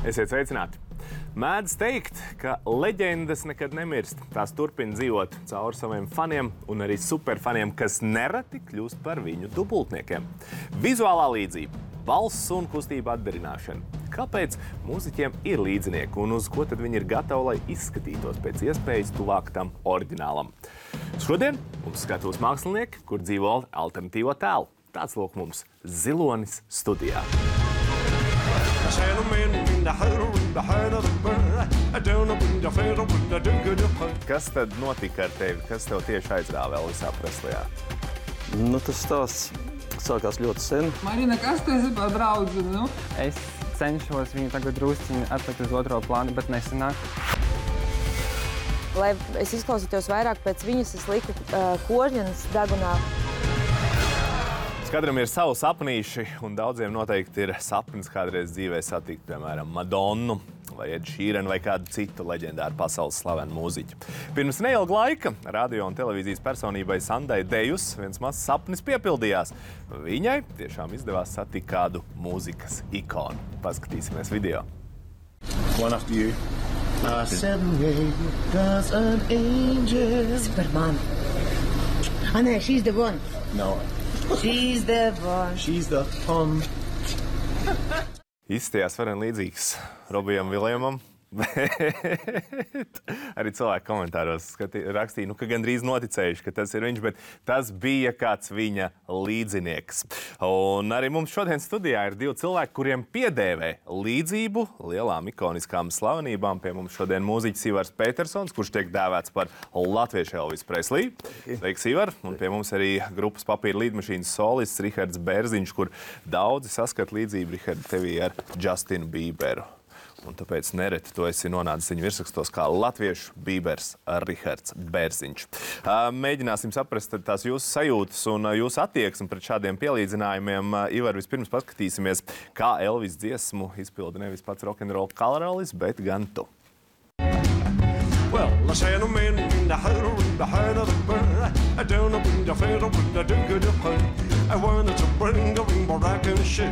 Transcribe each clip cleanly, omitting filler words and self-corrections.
Esiet sveicināti! Mēdz teikt, ka leģendas nekad nemirst. Tās turpina dzīvot cauri saviem faniem un arī superfaniem, kas nereti kļūst par viņu dubultniekiem. Vizuālā līdzība, balss un kustība atdarināšana. Kāpēc mūziķiem ir līdzinieki un uz ko tad viņi ir gatavi, lai izskatītos pēc iespējas tuvāk tam oriģinālam? Šodien mums skatos mākslinieki, kur dzīvo alternatīvo tēlu. Tāds lūk mums Zilonis studijā. Kas tad notika ar tevi? Kas tev tieši aizrāva Elvisā Preslejā? Tas stāsts sākās ļoti sen. Marina, kas tu esi par draudzi? Es cenšos viņu tagad drusciņi atlikt uz otro plānu, bet nesanāk. Lai es izklausītos vairāk pēc viņas, es liku kožņus degunā. Katram ir savi sapnīši, un daudziem noteikti ir sapnis kādreiz dzīvē satikt, piemēram, Madonnu, vai Ed Sheeran, vai kādu citu leģendāru pasaules slavenu mūziķu. Pirms neilga laika radio un televīzijas personībai Sandai Dejus viens mazs sapnis piepildījās. Viņai tiešām izdevās satikt kādu mūzikas ikonu. Paskatīsimies video. One after you. 7,000 angels. Superman. Nē, she's the one. No. She's the one. She's the one. Izstījās varen līdzīgs Robijam Viljamam, bet arī cilvēki komentāros rakstīja, ka gandrīz noticējuši, ka tas ir viņš, bet tas bija kāds viņa līdzinieks. Un arī mums šodien studijā ir divi cilvēki, kuriem piedēvē līdzību lielām ikoniskām slavenībām. Pie mums šodien mūziķis Ivars Petersons, kurš tiek dēvēts par latviešu Elvisu Presliju. Sveiks, Ivar! Un pie mums arī grupas Papīra līdmašīnas solists Rihards Bērziņš, kur daudzi saskat līdzību, Richard, tevī ar Justinu Bīberu. Un tāpēc nereti to esi nonācis viņa virsrakstos kā latviešu Bībers Rihards Bērziņš. Mēģināsim saprast tās jūsu sajūtas un jūsu attieksmi pret šādiem pielīdzinājumiem. Ivar, vispirms paskatīsimies, kā Elvis dziesmu izpilda nevis pats rock'n'roll karalis, bet gan tu. Well, I said a man in the huddle in the heart of the burn. I don't know when the fiddle with the duke of the pun. I wanted to bring the rainbow rock and shit.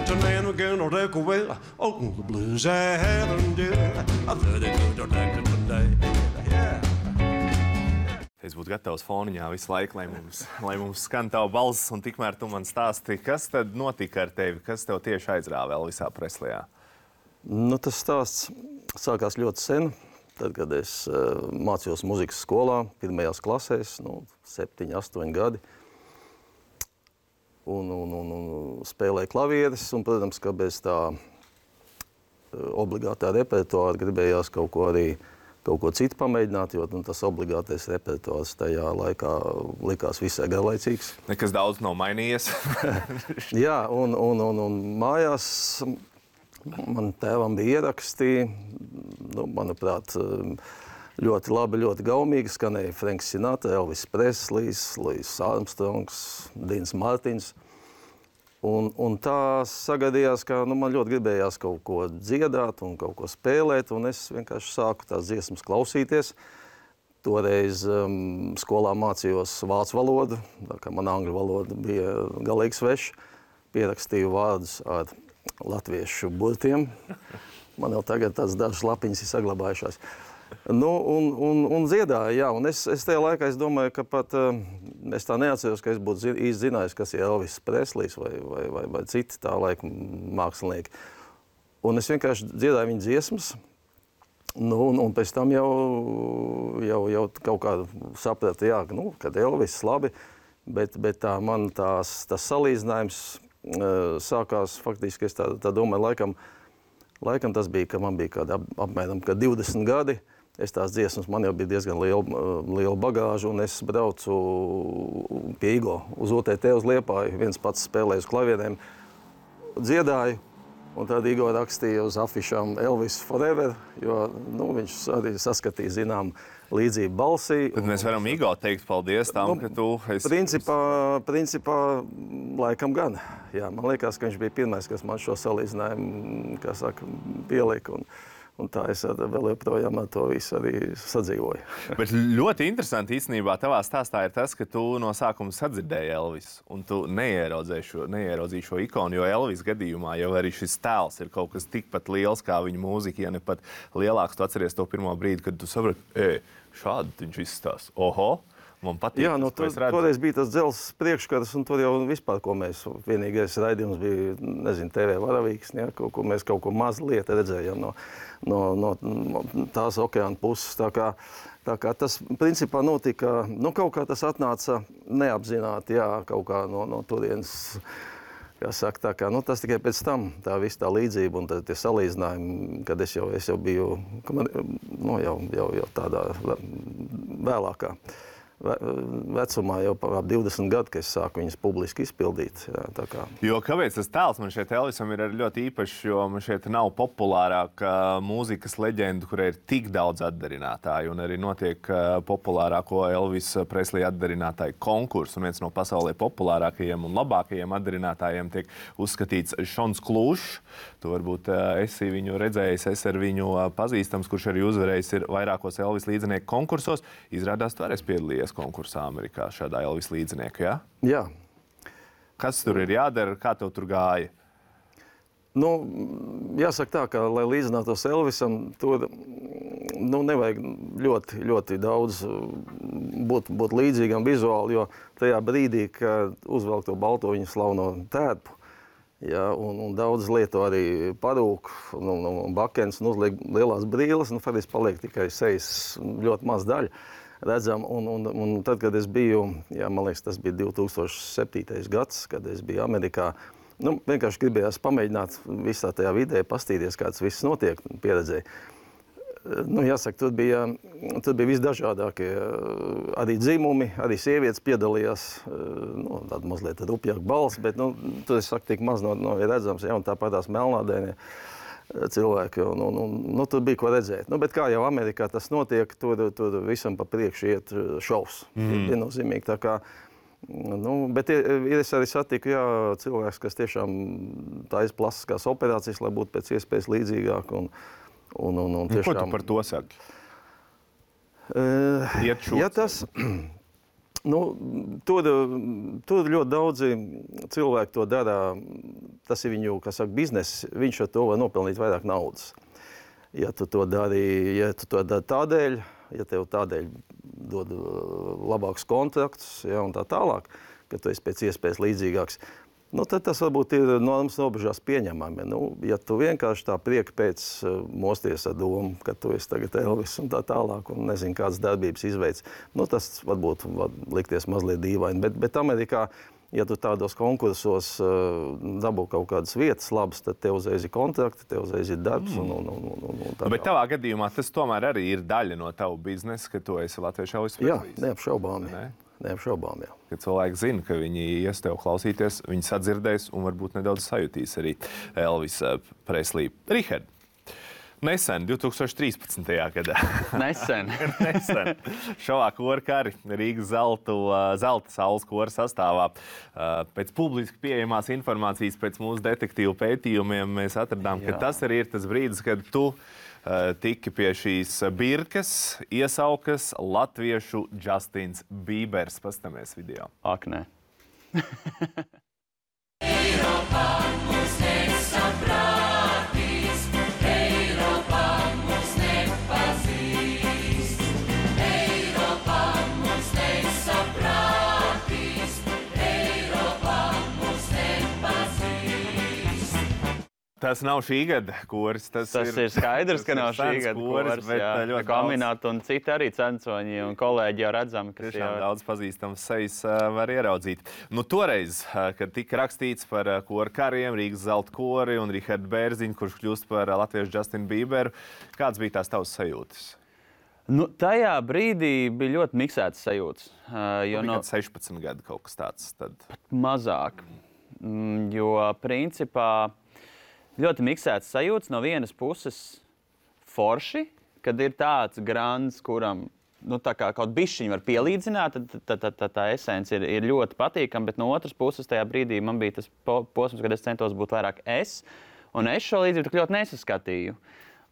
Tonight we're gonna rock away. Oh, the blues I haven't done. I thought it could have done today. Yeah. Es būtu gatavs foniņā visu laiku, lai mums skan tava balss, un tikmēr tu man stāsti, kas tad notika ar tevi, kas tev tieši aizrāva Elvisā Preslejā? Tas stāsts sākās ļoti sen. Tad, kad es mācījos muzikas skolā, pirmajās klasēs, 7, 8 gadi, un spēlēju klavieres, un, protams, ka bez tā obligātā repertuāra gribējās kaut ko citu pamēģināt, jo tas obligātais repertuārs tajā laikā likās visai garlaicīgs. Nekas daudz nav mainījies. Jā, un mājās man tēvam bija ieraksti, manuprāt, ļoti labi, ļoti gaumīgi skanēja Franks Sinatra, Elvis Preslijs, Louis Armstrongs, Dins Martins. Un tā sagadījās, ka man ļoti gribējās kaut ko dziedāt un kaut ko spēlēt, un es vienkārši sāku tās dziesmas klausīties. Toreiz skolā mācījos vācu valodu, tā kā man angļu valoda bija galīgi sveša, pierakstīju vārdus ar latviešu burtiem. Man jau tagad tās dažas lapiņas ir saglabājušās. Un dziedāju, jā. Un es tajā laikā domāju, ka pat es tā neatceros, ka es būtu īsti zinājis, kas ir Elvis Preslijs vai citi tā laika mākslinieki. Un es vienkārši dziedāju viņa dziesmas. Un pēc tam jau kaut kā sapratu, jā, kad Elvis labi, bet tā man tas salīdzinājums sākās faktiski, es tā domāju, laikam tas bija, ka man bija apmēram 20 gadi. Es tās dziesmas, man jau bija diezgan liela bagāža, un es braucu pie Igo uz OTT uz Liepāju, viens pats spēlēju uz klavierēm, dziedāju, un tad Igo rakstīja uz afišām Elvis Forever, jo viņš arī saskatīja zinām līdzību balsī. Tad mēs varam Igo teikt paldies tam, ka tu esi... Principā, laikam gan. Jā, man liekas, ka viņš bija pirmais, kas man šo salīdzinājumu, pielika. Un tā es vēl joprojām ar to visu arī sadzīvoju. Bet ļoti interesanti īstenībā tavā stāstā ir tas, ka tu no sākuma sadzirdēji Elvisu, un tu neieraudzīji šo ikonu, jo Elvis gadījumā jau arī šis tēls ir kaut kas tikpat liels kā viņa mūzika, ja ne pat lielāks. Tu atceries to pirmo brīdi, kad tu saprati, šādi viņš izstāsta. Oho! Man patīk, jā, nu, toreiz bija tas dzelzs priekšskats, un tur jau vispār, ko mēs, vienīgais raidījums bija, nezinu, TV varavīgs, ja, ko mēs kaut ko mazliet redzējām no tās okeāna puses. Tā kā tas, principā, notika, nu, kaut kā tas atnāca neapzināti, jā, kaut kā no turienes, kā saka, tā kā, nu, tas tikai pēc tam, tā visa tā līdzība un tie salīdzinājumi, kad es jau biju, nu, jau tādā vēlākā vecumā, jau ap 20 gadu, kad es sāku viņas publiski izpildīt. Jā, tā kā. Jo kāpēc tas tēls man šeit Elvisam ir ļoti īpašs, jo man šeit nav populārāka mūzikas leģenda, kurai ir tik daudz atdarinātāju, un arī notiek populārāko Elvis Presley atdarinātāju konkursu, un viens no pasaulē populārākajiem un labākajiem atdarinātājiem tiek uzskatīts Šons Klūšs. Tu varbūt esi viņu redzējis, es ar viņu pazīstams, kurš arī uzvarējis ir vairākos Elvis līdzinieku konkursos. Izrādās, tu arī piedalījies konkursā Amerikā šādā Elvis līdzinieku, jā? Jā. Kas tur ir jādara? Kā tev tur gāja? Nu, jāsaka tā, ka, lai līdzinātos Elvisam, tur nevajag ļoti, ļoti daudz būt līdzīgam vizuāli, jo tajā brīdī, kad uzvelk to balto viņa slavno tērpu, ja, un daudz lieto arī parūku un bakens un uzliek lielās brīles, nu, faktiski paliek tikai sejas ļoti maz daļa. Redzam, un tad, kad es biju, jā, man liekas, tas bija 2007. gads, kad es biju Amerikā, nu, vienkārši gribējās pamēģināt visā tajā vidē, pastīties, kāds viss notiek, pieredzēja. Nu, jāsaka, tur bija visdažādākie arī dzimumi, arī sievietes piedalījās, nu, tāda mazliet rupjāk balss, bet, nu, tur es saku, tik maz no redzams, jā, un tāpat tās melnādēnie cilvēki, nu, tur bija ko redzēt. Nu, bet kā jau Amerikā tas notiek, tur visam pa priekšu iet šovs. Viennozīmīgi, tā kā, nu, bet es arī satiku, jā, cilvēks, kas tiešām taisa plastiskās operācijas, lai būtu pēc iespējas līdzīgāk un tiešām... Ko tu par to saki? Ja tas... Nu, tur ļoti daudzi cilvēki to dara, tas ir viņu, kā saka, biznes, viņš ar to var nopelnīt vairāk naudas. Ja tu to dari tādēļ, ja tev tādēļ dod labākus kontraktus, ja, un tā tālāk, ka tu esi pēc iespējas līdzīgāks, nu, tad tas varbūt ir normas robežās pieņemami. Nu, ja tu vienkārši tā prieka pēc mosties ar domu, ka tu esi tagad Elvis un tā tālāk un nezinu, kādas darbības izveids, nu, tas varbūt var likties mazliet dīvaini. Bet Amerikā, ja tu tādos konkursos dabū kaut kādas vietas labas, tad tev uzreiz ir kontrakti, tev uzreiz ir darbs. Bet tavā gadījumā tas tomēr arī ir daļa no tavu biznesa, ka tu esi latviešu Elvis Preslejs. Jā, neapšaubām. Neapšaubām, jā. Kad cilvēki zina, ka viņi ies tev klausīties, viņi sadzirdēs un varbūt nedaudz sajutīs arī Elvis Presley. Rihard, nesen, 2013. gadā. Nesen. Šovā kora kari Rīgas zelta saules kora sastāvā. Pēc publiski pieejamās informācijas, pēc mūsu detektīvu pētījumiem mēs atradām, ka tas arī ir tas brīdis, kad tu tiki pie šīs birkas, iesaukas latviešu Justins Bībers. Paskatāmies video. Ak, nē. Eiropā mūs nesaprātīs, Eiropā mūs nepazīst. Eiropā mūs nesaprātīs, Eiropā mūs nepazīst. Tas nav šī gada koris. Tas ir skaidrs, ka nav šī gada koris. Jā, Komināt un citi arī censoņi un kolēģi jau redzam, ka tiešām daudz pazīstams sejas var ieraudzīt. Nu, toreiz, kad tika rakstīts par kora kariem, Rīgas zelta kori un Rihardu Bērziņu, kurš kļūst par latviešu Justinu Bīberu, kāds bija tās tavas sajūtas? Nu, tajā brīdī bija ļoti miksētas sajūtas. Jo no 16 gadu kaut kas tāds. Tad... Mazāk. Jo, principā, ļoti miksētas sajūtas. No vienas puses forši, kad ir tāds grants, kuram nu, tā kā kaut bišķiņi var pielīdzināt, tad tā esence ir ļoti patīkama, bet no otras puses tajā brīdī man bija tas posms, kad es centos būt vairāk es, un es šo līdzību tik ļoti nesaskatīju.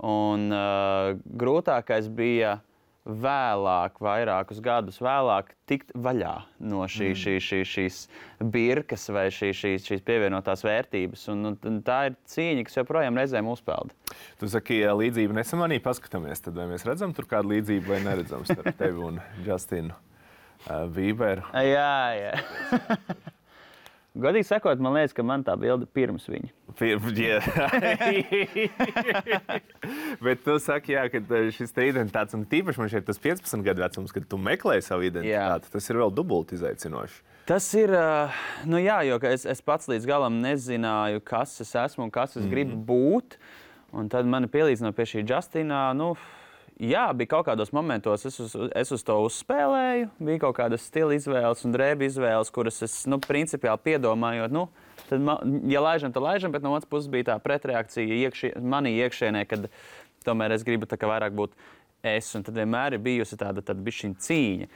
Un grūtākais bija vēlāk, vairākus gadus vēlāk, tikt vaļā no šīs birkas vai šīs pievienotās vērtības. Un tā ir cīņa, kas joprojām reizēm uzpeld. Tu saki, ja līdzība nesamanīja, paskatāmies, tad vai mēs redzam tur kādu līdzību vai neredzam starp tevi un Justinu Bieberu? Jā. Godīgi sakot, man liekas, ka man tā bilde pirms viņa. Bet tu saki, jā, ka šis te identitātes, un tīpaši man šeit tas 15 gadu vecums, kad tu meklēji savu identitāti, tas ir vēl dubulti izaicinoši. Tas ir, jo es pats līdz galam nezināju, kas es esmu un kas es gribu būt. Un tad mani pielīdzināja pie šī Justina, jā, bija kaut kādos momentos, es uz to uzspēlēju, bija kaut kādas stila izvēles un drēbi izvēles, kuras es, principiāli piedomājot, tad, ja laižam, tad laižam, bet no otras puses bija tā pretreakcija manī iekšienē, kad tomēr es gribu tā kā vairāk būt es, un tad vienmēr ir bijusi tāda bišķiņa cīņa.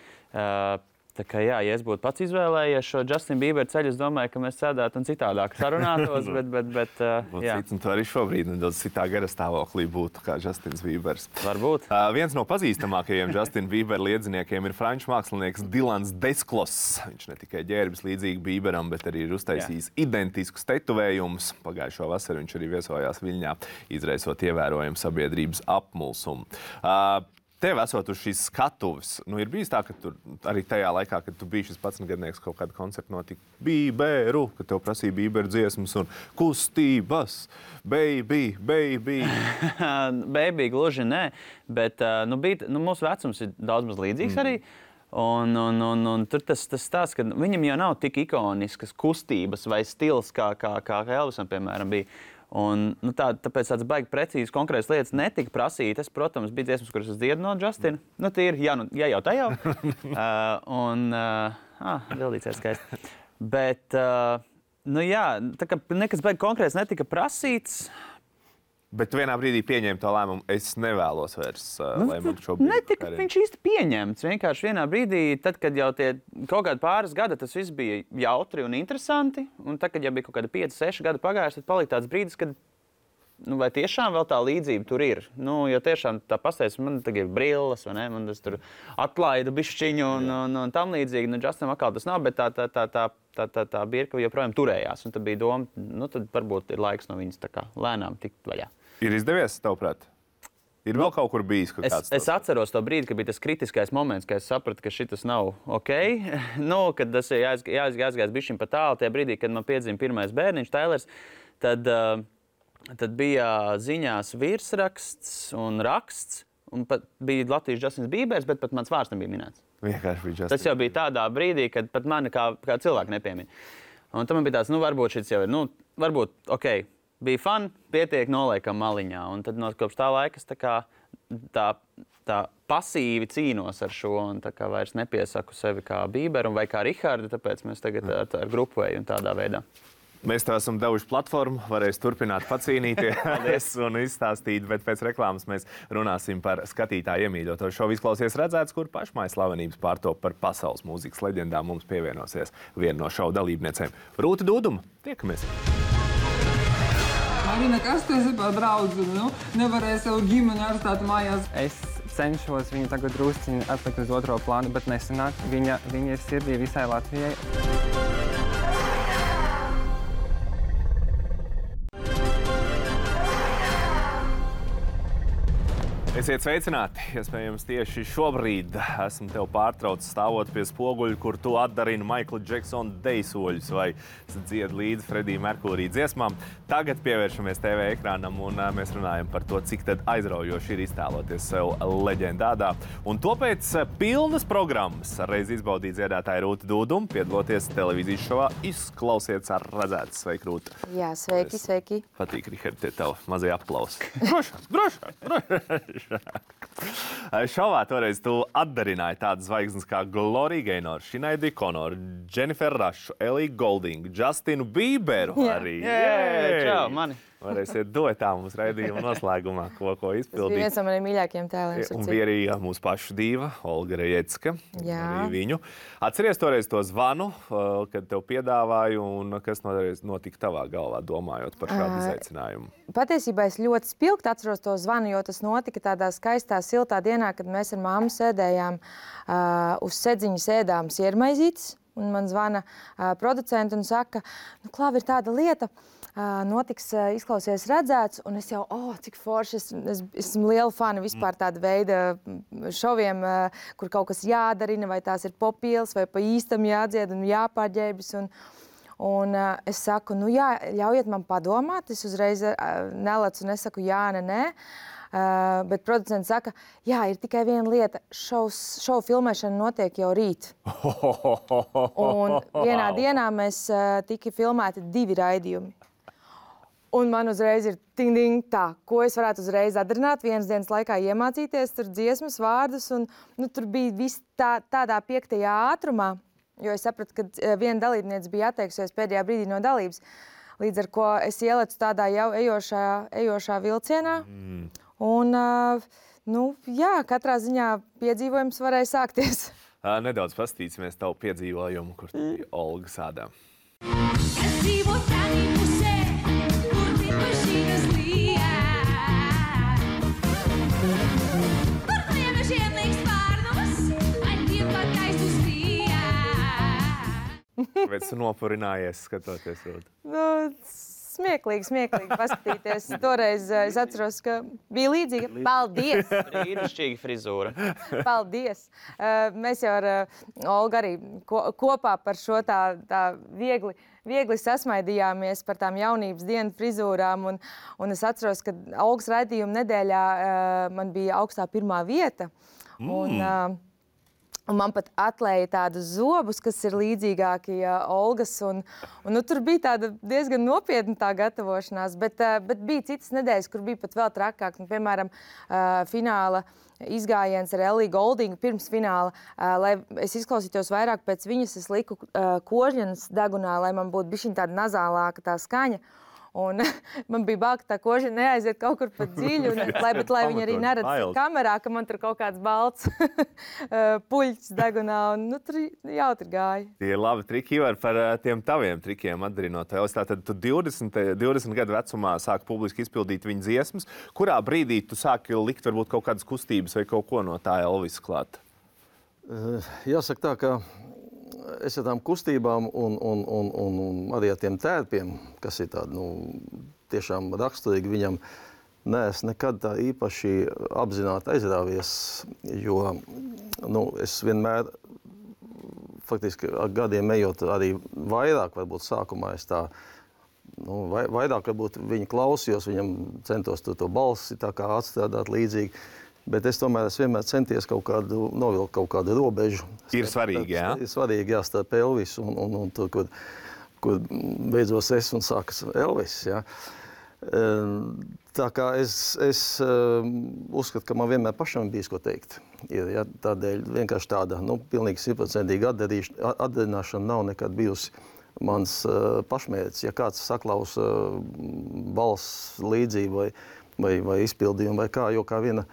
Tā kā jā, ja es būtu pats izvēlējies šo Justinu Bieberu ceļu, es domāju, ka mēs sēdētu un citādāk sarunātos, bet jā. Un tu arī šobrīd nedaudz citā gara stāvoklī būtu kā Justins Biebers. Varbūt. Viens no pazīstamākajiem Justina Biebera liedziniekiem ir franču mākslinieks Dilans Desklos. Viņš ne tikai ģērbis līdzīgi Bieberam, bet arī ir uztaisījis identiskus tetovējumus. Pagājušo vasaru viņš arī viesojās Viļņā, izraisot ievērojumu sabiedrības apmulsumu. Tev esot uz šīs skatuves, ir bijis tā, ka tur arī tajā laikā, kad tu biji šis 11-gadnieks, kaut kāda koncerta notika Bieberu, kad tev prasīja Bieberu dziesmas un kustības, baby. Baby gluži nē, bet mūsu vecums ir daudz maz līdzīgs arī. Un tur tas stāsts, ka viņam jau nav tik ikoniskas kustības vai stils, kā Elvisam, piemēram, bija. Un, tāpēc tāds baigi precīzi konkrētas lietas netika prasītas. Protams, bija dziesmas, kuras es dziedu no Justina. Ja jau tā jau. Bildīts ir skaisti. Bet, tā kā nekas baigi konkrēts netika prasīts. Bet tu vienā brīdī pieņēmi to lēmumu, es nevēlos vairs, lai man šobrīd... Netika viņš īsti pieņemts. Vienkārši vienā brīdī, tad, kad jau tie kaut kādi pāris gadi, tas viss bija jautri un interesanti. Un tad, kad jau bija kaut kādi 5-6 gadi pagājuši, tad palika tāds brīdis, kad vai tiešām vēl tā līdzība tur ir. Jo tiešām tā pastājas, man tagad ir brilles, vai ne? Man tas tur atlaidu bišķiņu un tam līdzīgi. Justinam atkal tas nav, bet tā birka joprojām turējās. Un tad bija doma, tad varbūt ir laiks no viņas tā kā lēnām tikt vaļā. Ir izdevies, tavuprāt? Ir vēl kaut kur bijis kaut kāds? Es atceros to brīdi, kad bija tas kritiskais moments, kad es sapratu, ka šitas nav ok. Kad tas ir jāizgājis bišķiņ pa tālu, tajā brīdī, kad man piedzima pirmais bērniņš, Tailers, tad bija ziņās virsraksts un raksts, un pat bija Latvijas Justins Biebers, bet pat mans vārds nebija minēts. Vienkārši bija Justins. Tas jau bija tādā brīdī, kad pat mani kā cilvēku nepiemina. Un tam man bija tāds, varbūt šis jau ir, varbūt, ok, bija fun, pietiek, noliekam maliņā. Un tad kopš tā laika es tā pasīvi cīnos ar šo un tā kā vairs nepiesaku sevi kā Bieberu vai kā Rihardu, tāpēc mēs tagad ar grupēju un tādā veidā. Mēs tev esam devuši platformu, varēs turpināt pacīnīties un izstāstīt, bet pēc reklāmas mēs runāsim par skatītāju iemīļoto šovu Izklausies redzēts, kur pašmājas slavenības pārtop par pasaules mūzikas leģendām. Mums pievienosies viena no šovu dalībniecēm Rūta Dūduma. Tiekamies! Marina, kas tu esi par draudzeni? Nevarēja savu ģimeni atstāt mājās. Es cenšos viņu tagad drusciņi atlikt uz otro plānu, bet nesanāk. Viņa ir sirdī visai Latvijai. Esiet sveicināti! Iespējams, tieši šobrīd esmu tev pārtraucis stāvot pie spoguļa, kur tu atdarini Maikla Džeksona dejsoļus vai dziedi līdzi Freddija Merkūrija dziesmām. Tagad pievēršamies TV ekrānam un mēs runājam par to, cik tad aizraujoši ir iztēloties sev leģendādā. Un tāpēc pilnas programmas reiz izbaudīt dziedātāja Rūta Dūduma, piedaloties televīzijas šovā Izklausies redzēts. Sveiki, Rūta! Jā, sveiki. Patīk, Rihard, tie tavi mazie aplausi. Grošās! Šovā toreiz tu atdarināji tādas zvaigznes kā Gloria Gaynor, Sinead O'Connor, Jennifer Rushu, Ellie Goulding, Justinu Bieberu arī. Čau, mani! Varēsiet duetā mums raidījuma noslēgumā, ko Tas bija izpildīt. viens no maniem mīļākajiem tēliem. Un bija arī mūsu pašu dīva, Olga Rejecka. Jā. Arī viņu. Atceries toreiz to zvanu, kad tev piedāvāju, un kas notika tavā galvā, domājot par šādu izaicinājumu? Patiesībā es ļoti spilgti atceros to zvanu, jo tas notika tādā skaistā, siltā dienā, kad mēs ar mammu sēdējām uz sedziņas ēdām siermaizītes. Un man zvana producenti un saka, nu, Klāva, ir tāda lieta, notiks, izklausies redzēts, un es jau, cik forši, es esmu liela fani vispār tāda veida šoviem, kur kaut kas jādarina, vai tās ir popielas, vai pa īstam jādzied un jāpārģērbis. Un es saku, nu jā, ļaujiet man padomāt, es uzreiz nelecu un nesaku jā, nē. Bet producents saka, jā, ir tikai viena lieta, šovu filmēšana notiek jau rīt. Un vienā dienā mēs tika filmēti 2 raidījumi. Un man uzreiz ir ting-ding tā, ko es varētu uzreiz atdarināt, vienas dienas laikā iemācīties, tur dziesmas vārdus, un tur bija viss tādā 5. ātrumā, jo es sapratu, ka viena dalībniece bija atteiksies pēdējā brīdī no dalības, līdz ar ko es ielecu tādā jau ejošā vilcienā. Un, jā, katrā ziņā piedzīvojums varēja sākties. Nedaudz pastīsimies tavu piedzīvojumu, kur tu biji Olga sādā. Es dzīvo tādā pusē, kur tikko šīs lījā. Kur klienu žiemlīgs pārnums, ar tiem kā gaistus lījā. Kāpēc tu nopurinājies, skatoties rūdu? Smieklīgi paskatīties. Toreiz es atceros, ka bija līdzīga. Paldies! Brīnišķīga frizūra. Paldies! Mēs jau ar Olgu arī kopā par šo tā viegli sasmaidījāmies par tām jaunības dienu frizūrām. Un es atceros, ka Olgas raidījuma nedēļā man bija augstā 1. vieta. Un man pat atlēja tādus zobus, kas ir līdzīgāki Olgas. Un tur bija tāda diezgan nopietna tā gatavošanās. Bet bija citas nedēļas, kur bija pat vēl trakāk. Piemēram, fināla izgājiens ar Elliju Goldingu pirms fināla. Lai es izklausītos vairāk pēc viņas, es liku kožļenes degunā, lai man būtu bišķiņ tāda nazālāka tā skaņa. Un man bija bail, ka tā koža neaiziet kaut kur pa dziļu, bet lai viņi arī neredz kamerā, ka man tur kaut kāds balts puļķis degunā. Tur jautri gāja. Tie ir labi triki, Ivar, par tiem taviem trikiem atdarinot. Tātad tu 20 gadu vecumā sāki publiski izpildīt viņa dziesmas. Kurā brīdī tu sāki likt varbūt kaut kādas kustības vai kaut ko no tā Elvisa klāt? Jāsaka tā, ka es ar tām kustībām un arī ar tiem tērpiem, kas ir tādi, tiešām raksturīgi viņam, neesmu nekad tā īpaši apzināti aizrāvies, jo, es vienmēr, faktiski ar gadiem ejot arī vairāk, varbūt sākumā es tā, vairāk varbūt viņu klausījos, viņam centos to balsi tā kā atstrādāt līdzīgi. Bet es tomēr vienmēr centies novilkt kaut kādu robežu. Ir svarīgi, jā? Ir svarīgi, jā, starp Elvisu un tur, kur beidzos es un sākas Elvis, jā. Tā kā es uzskatu, ka man vienmēr pašam bijis ko teikt. Ja, tādēļ vienkārši tāda, pilnīgi 100% atdarināšana nav nekad bijusi mans pašmērķis. Ja kāds saklausa balss līdzību vai izpildījumu vai kā, jo kā viena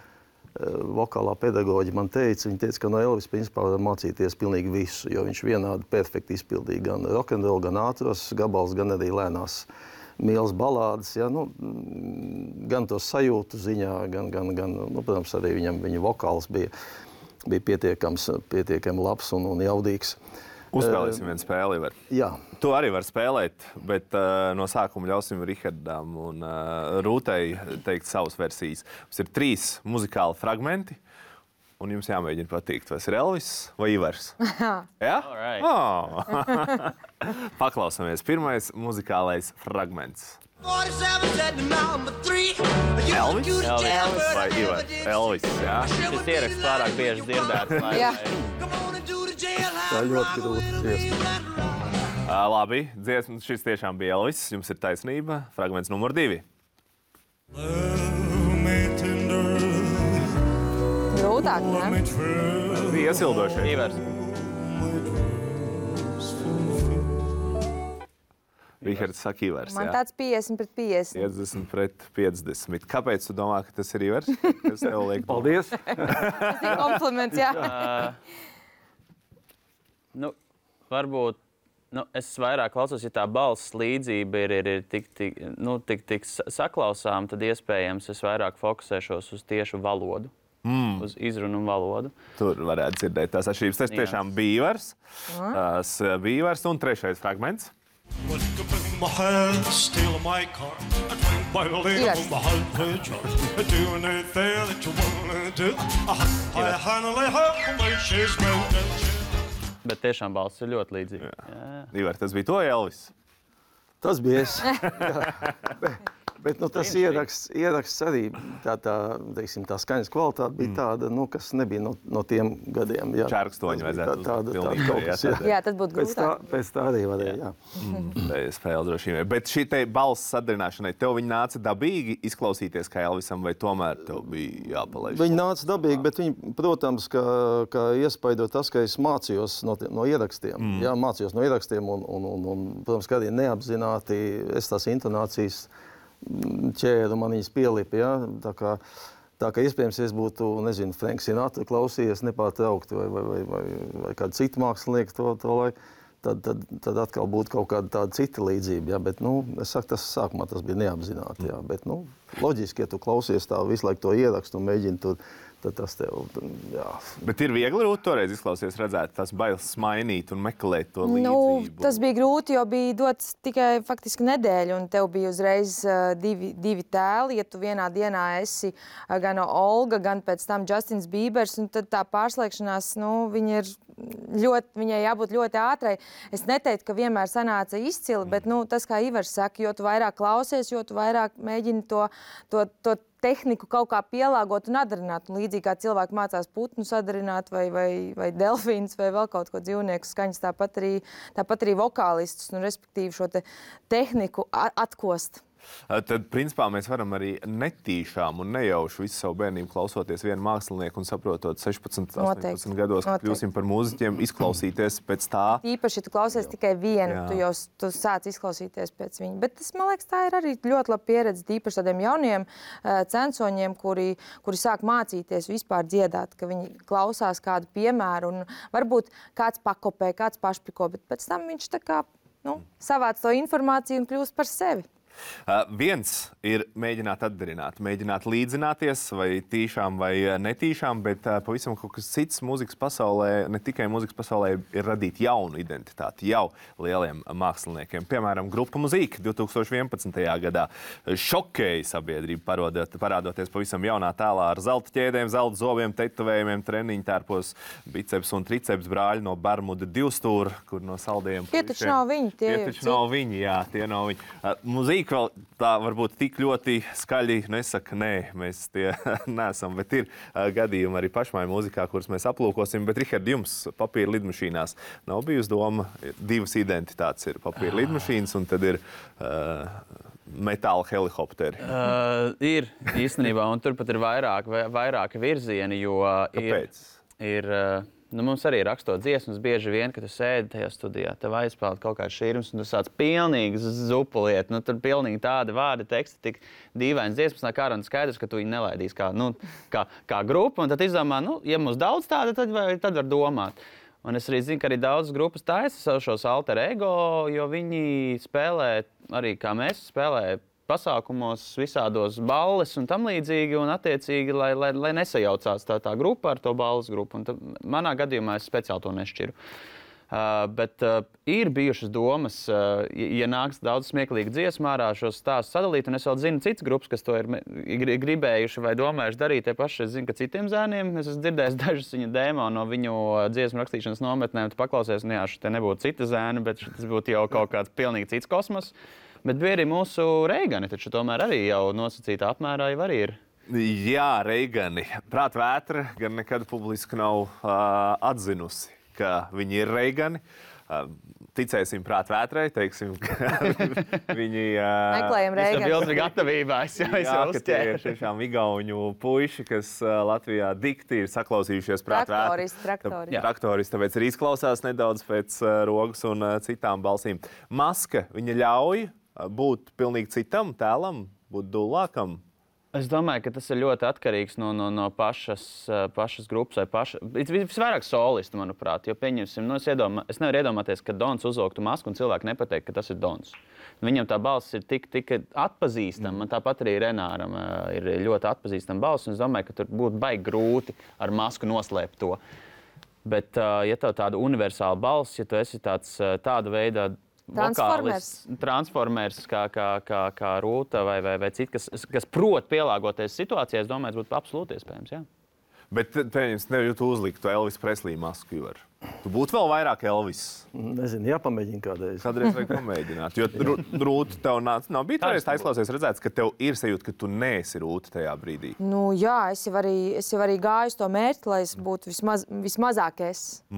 vokālā pedagoģi man teica, viņa teica, ka no Elvis principā var mācīties pilnīgi visu, jo viņš vienādi perfekti izpildīja gan rock'n'roll, gan ātros gabals, gan arī lēnās mīlas balādes, ja, gan to sajūtu ziņā, gan protams, arī viņa vokāls bija pietiekami labs un jaudīgs. Uzspēlēsim vienu spēli, Ivar. Jā. Tu arī vari spēlēt, bet no sākuma ļausim Rihardam un Rūtei teikt savas versijas. Mums ir 3 muzikāli fragmenti, un jums jāmēģina patikt, vai ir Elvis vai Ivars. Jā? All right. Paklausāmies. Pirmais muzikālais fragments. 47 said number 3. Elvis vai Ivars? Elvis, jā. Šis ieraksts pārāk bieži dzirdēts. Jā. Tā ļoti grūti. Labi, dziesmas šis tiešām bija Elvis. Jums ir taisnība. Fragments numur 2. Grūtāk, ne? Bija iesildošais. Ivars. Rihards saka Ivars. Man tāds 50 pret 50. 50 pret 50. Kāpēc tu domā, ka tas ir Ivars? Kas tev liek? Paldies! Tas ir kompliments, jā. Varbūt es vairāk klausos, ja tā balss līdzība ir tik saklausām, tad iespējams es vairāk fokusēšos uz tiešu valodu, uz izrunu un valodu. Tur varētu dzirdēt tās atšķirības. Tas tiešām bija Ivars. Tas bija Ivars un trešais fragments. Bet tiešām balss ir ļoti līdzīga. Ivar, tas bija to Elvis? Tas bija es. Bet tas ieraksts arī, tā skaņas kvalitāte bija tāda, kas nebija no tiem gadiem. Čērkstoņi vajadzētu. Jā, tas būtu grūtāk. Pēc tā arī varēja, jā. Spēle droši vien. Bet šī te balss sadarināšanai, tev viņa nāca dabīgi izklausīties kā Elvisam, vai tomēr tev bija jāpalaiž? Viņa nāca dabīgi, bet viņa, protams, ka iespaido tas, ka es mācījos no ierakstiem. Jā, mācījos no ierakstiem un protams, ka arī neapzināti es tās intonācijas ķēru, man viņas pielipa, jā. Tā kā iespējams, ja es būtu, nezinu, Frank Sinatra klausījies nepārtraukti vai kādu citu mākslinieku to laiku, tad atkal būtu kaut kāda tāda cita līdzība, jā. Bet, es saku, sākumā tas bija neapzināti, jā. Bet, loģiski, ja tu klausies tā visu laiku to ierakstu un mēģini tur, tad tas tev, jā. Bet ir viegli rūt toreiz izklausies, redzēt tās bailes mainīt un meklēt to līdzību? Tas bija grūti, jo bija dots tikai faktiski nedēļa, un tev bija uzreiz divi tēli. Ja tu vienā dienā esi gan Olga, gan pēc tam Justins Bībers, un tad tā pārslēgšanās, viņai jābūt ļoti ātrai. Es neteiktu, ka vienmēr sanāca izcili, bet tas, kā Ivars saka, jo tu vairāk klausies, jo tu vairāk mēģini to tehniku kaut kā pielāgot un atdarināt. Un līdzīgi kā cilvēki mācās putnu sadarināt vai delfīnus vai vēl kaut ko dzīvnieku skaņas, tāpat arī vokālistus, respektīvi šo tehniku atkost. Tad, principā, mēs varam arī netīšām un nejauši visu savu bērnību klausoties vienu mākslinieku un saprotot 16, 18 gados, ka kļūsim par mūziķiem, izklausīties pēc tā. Īpaši, ja tu klausies tikai vienu, tu sāc izklausīties pēc viņa. Bet tas, man liekas, tā ir arī ļoti laba pieredze, īpaši tādiem jauniem censoņiem, kuri sāk mācīties vispār dziedāt, ka viņi klausās kādu piemēru un varbūt kāds pakopē, kāds pašpiko, bet pēc tam viņš tā kā savāc to informāciju un kļūst par sevi. Viens ir mēģināt atdarināt, mēģināt līdzināties vai tīšām vai netīšām, bet pavisam kaut kas cits mūzikas pasaulē, ne tikai mūzikas pasaulē, ir radīt jaunu identitāti jau lieliem māksliniekiem. Piemēram, grupa Muzīka 2011. gadā šokēja sabiedrību parādoties pavisam jaunā tēlā ar zelta ķēdēm, zelta zobiem, tetovējumiem, treniņu tērpos, biceps un triceps brāļi no Bermuda divstūra, kur no saldējiem Tie taču nav viņi, tie nav viņi. Muzīka vēl tā varbūt tik ļoti skaļi nesaka, nē, mēs tie neesam, bet ir gadījumi arī pašmāju mūzikā, kuras mēs aplūkosim. Bet, Rihard, jums papīra lidmašīnās nav bijusi doma, divas identitātes ir papīra lidmašīnas un tad ir metāla helikopteri. Ir īstenībā, un turpat ir vairāki virzieni, jo mums arī rakstot dziesmas bieži vien, kad tu sēdi tajā studijā, tev aizpeld kaut kāds šīrums, un tu sāc pilnīgi zupuliet. Tur pilnīgi tādi vārdi, teksti, tik dīvains dziesmas nāk ārā, un skaidrs, ka tu viņu nelaidīs kā grupa, un tad izdomā, ja mums daudz tāda, tad var domāt. Un es arī zinu, ka arī daudzas grupas taisa šos alter ego, jo viņi spēlē arī, kā mēs spēlē pasākumos, visādos balles un tam līdzīgi, un attiecīgi, lai nesajaucās tā grupa ar to balles grupu. Un manā gadījumā es speciāli to nešķiru. Bet ir bijušas domas, ja nāks daudz smieklīgi dziesmu ārā šos stāstus sadalīt, un es vēl zinu citas grupas, kas to ir gribējuši vai domājuši darīt. Tie paši es zinu, ka citiem zēniem, es esmu dzirdējis dažus viņa dēmo no viņu dziesmu rakstīšanas nometnēm, tu paklausies, te nebūtu cita zēna, bet tas būtu jau kaut kāds pilnīgi cits kosmos. Bet bija arī mūsu Reigani, taču tomēr arī jau nosacītā apmērā jau arī ir. Jā, Reigani. Prāt vētra gan nekad publiski nav atzinusi, ka viņi ir Reigani. ticēsim prātvētrai, teiksim, ka viņi Meklējam Reiganu. Bildes ir gatavībā, es jau ka tie ir uzķēru. tiešām igauņu puiši, kas Latvijā dikti ir saklausījušies prātvētrai. Traktoristi, tāpēc arī izklausās nedaudz pēc rogas un citām balsīm. Maska, viņa ļauj būt pilnīgi citam tēlam, būt dulākam? Es domāju, ka tas ir ļoti atkarīgs no pašas grupas vai visvairāk solistu, manuprāt. Jo, pieņemsim, es nevaru iedomāties, ka Dons uzvilktu masku un cilvēki nepateikt, ka tas ir Dons. Viņam tā balss ir tik atpazīstama. Man tāpat arī Renāram ir ļoti atpazīstama balss, un es domāju, ka tur būtu baigi grūti ar masku noslēpt to. Bet, ja tev tāda universāla balss, ja tu esi tāda veida transformers kā Rūta vai citi, kas prot pielāgoties situācijai, es domāju, tas būtu absolūti iespējams, jā. Bet tev tu uzliktu Elvis Preslī masku, Ivar. Tu būtu vēl vairāk Elvis. Nezinu, jāpamēģina kādreiz. Kādreiz vajag pamēģināt. Jo Rūta tev nav bija toreiz aizklausies redzēts, ka tev ir sajūta, ka tu neesi Rūta tajā brīdī. Nu jā, es jau arī gāju uz to mērķi, lai es būtu vismazāk